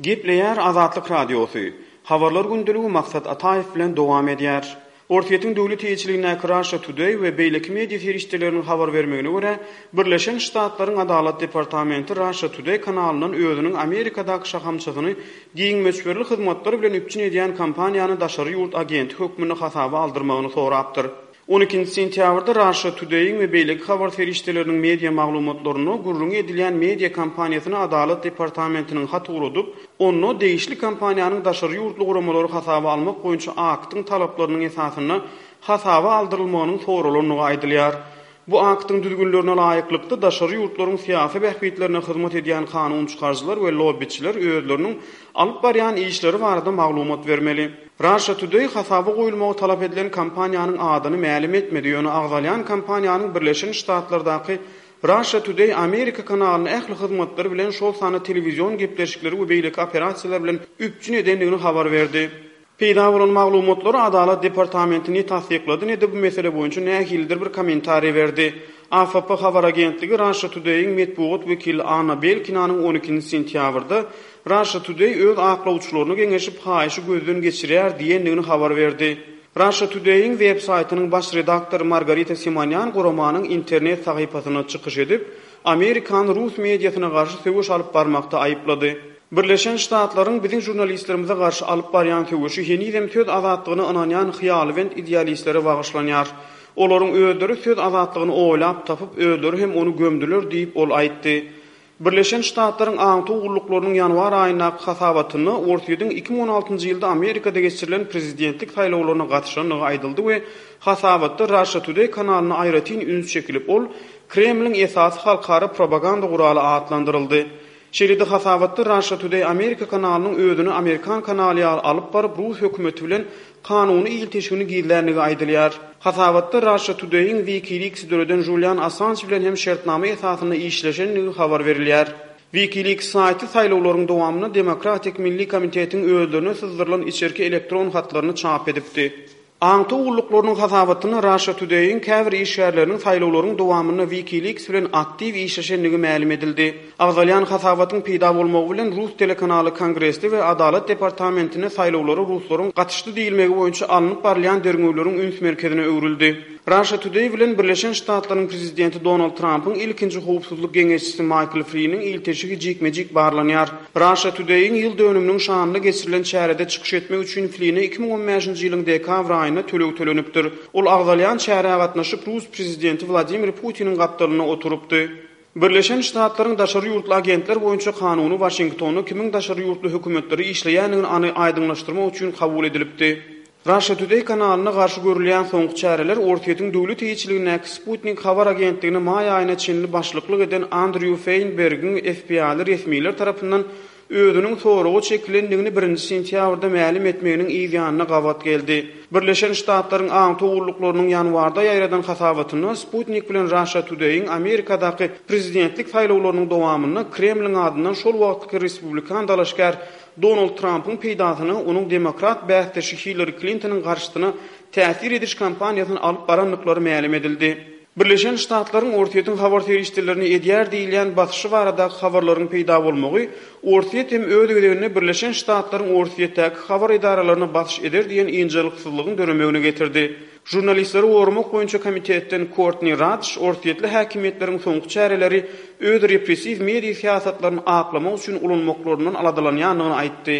Gepleýär Azatlyk Radiosy. Habarlar gündeligi Maksat Ataýew bilen dowam edýär. Orsýetiň döwlet eýeçiligindäki Russia Today we beýleki media serişdeleriniň habar bermegine görä, Birleşen Ştatlaryň Adalat departamenti Russia Today kanalyndan özüniň Amerikadaky şahamçasyny giň möçberli hyzmatlar bilen üpjün edýän kompaniýany daşary ýurt agenti hökmünde hasaba aldyrmagyny sorapdyr. On ikinji sentýabrda Russia Today-iň we beýleki habar serişdeleriniň media maglumatlarynda gürrüňi edilýän media kompaniýasyna Adalat departamentiniň hat ugradyp, onda degişli kompaniýanyň daşary ýurtly guramalary hasaba almak boýunça aktyň talaplarynyň esasynda hasaba aldyrylmagynyň soralandygy aýdylýar. Bu aktyň düzgünlerine laýyklykda, daşary ýurtlaryň syýasy bähbitlerine hyzmat edýän kanun çykaryjylar we lobbiçiler özleriniň alyp barýan işleri barada maglumat bermeli. Russia Today hasaba goýulmagy talap edilen kompaniýanyň adyny mälim etmedi, ýöne agzalýan kompaniýanyň Birleşen Ştatlardaky Russia Today Amerika kanalyny ähli hyzmatlar bilen, şol sanda telewizion gepleşikleri we beýleki operasiýalar bilen üpjün edendigini habar berdi. Peýda bolan maglumatlary Adalat departamenti ne tassyklady, ne-de bu mesele boýunça nähilidir bir kommentariý berdi. AFP habar agentligi Russia Today-iň metbugat wekili Anna Belkinanyň on ikinji sentýabrda Russia Today öz aklawçylaryna geňeşip haýyşy gözden geçirýär diýendigini habar berdi. Russia Today-iň web saýtynyň baş redaktory Margarita Simonýan guramanyň internet sahypasynda çykyş edip, Amerikany rus mediasyna garşy söweş alyp barmakda aýyplady. Birleşen Ştatlaryň biziň žurnalistlerimize garşy alyp barýan söweşi henizem söz azatlygyna ynanýan hyýalybent idealistlere bagyşlanýar. Olaryň özleri söz azatlygyny oýlap tapyp, özleri hem ony gömdüler diýip, ol aýtdy. Birleşen Ştatlaryň aňtaw gulluklarynyň ýanwar aýyndaky hasabatynda Orsýetiň 2016-njy ýylda Amerikada geçirilen prezidentlik saýlawlaryna gatyşandygy aýdyldy we hasabatda Russia Today kanalyna aýratyn üns çekilip, ol Kremliň esasy halkara propaganda guraly atlandyryldy. Şeýle-de hasabatda Russia Today Amerika kanalynyň özüni amerikan kanaly ýaly alyp baryp, rus hökümeti bilen kanuny ilteşigini gizländigi aýdylýar. Hasabatda Russia Today-iň WikiLeaks-i döreden Julian Assanj bilen hem şertnama esasynda işleşendigi habar berilýär. WikiLeaks saýty saýlawlaryň dowamynda Demokratik Milli Komitetiň özlerine syzdyrylan içerki elektron hatlaryny çap edipdi. Aňtaw gulluklarynyň hasabatynda Russia Today-iň käbir işgärleriniň saýlawlaryň dowamynda WikiLeaks bilen aktiw işleşendigi mälim edildi. Agzalýan hasabatyň peýda bolmagy bilen rus telekanaly Kongresde we Adalat departamentinde saýlawlara ruslaryň gatyşdy diýilmegi boýunça alnyp barylýan derňewleriň üns merkezine öwrüldi. Russia Today bilen Birleşen Ştatlaryň prezidenti Donald Trampyň ilkinji howpsuzlyk geňeşçisi Maýkl Fliniň ilteşigi jikme-jik barlanýar. Russia Today-iň ýyl dönüminiň şanyna geçirilen çärede çykyş etmek üçin Fline 2015-nji ýylyň dekabr aýynda töleg tölenipdir. Ol agzalýan çärä gatnaşyp, rus prezidenti Wladimir Putiniň gapdalynda oturypdy. Birleşen Ştatlaryň daşary ýurtly agentler boýunça kanuny Waşingtonda kimiň daşary ýurtly hökümetlere işleýändigini any aýdyňlaşdyrmak üçin kabul edilipdi. Russia Today kanalyna garşy görülýän soňky çäreler Orsýetiň döwlet eýeçiligindäki Sputnik habar agentligine maý aýyna çenli başlyklyk eden Andrýu Feýnbergiň FBI-li resmiler tarapyndan özüniň soraga çekilendigini birinji sentýabrda mälim etmeginiň yz ýanyna gabat geldi. Birleşen Ştatlaryň aňtaw gulluklarynyň ýanwarda ýaýradan hasabatynda Sputnik bilen Russia Today-iň Amerikadaky prezidentlik saýlawlarynyň dowamynda Kremliň adyndan şol wagtky respublikan dalaşgär Donald Trampyň peýdasyna onuň demokrat bäsdeşi Hillari Klintonyň garşysyna täsir ediş kampaniýasyny alyp barandyklary mälim edildi. Birleşen Ştatlaryň Orsýetiň habar serişdelerini edýär diýilýän basyşy baradaky habarlaryň peýda bolmagy Orsýet hem öz gezeginde Birleşen Ştatlaryň Orsýetdäki habar edaralaryna basyş eder diýen ynjalyksyzlygyň döremegine getirdi. Žurnalistleri goramak boýunça komitetden Kortni Radş orsýetli häkimiýetleriň soňky çäreleri öz repressiw media syýasatlaryny aklamak üçin ulanmaklaryndan aladalanýandygyny aýtdy.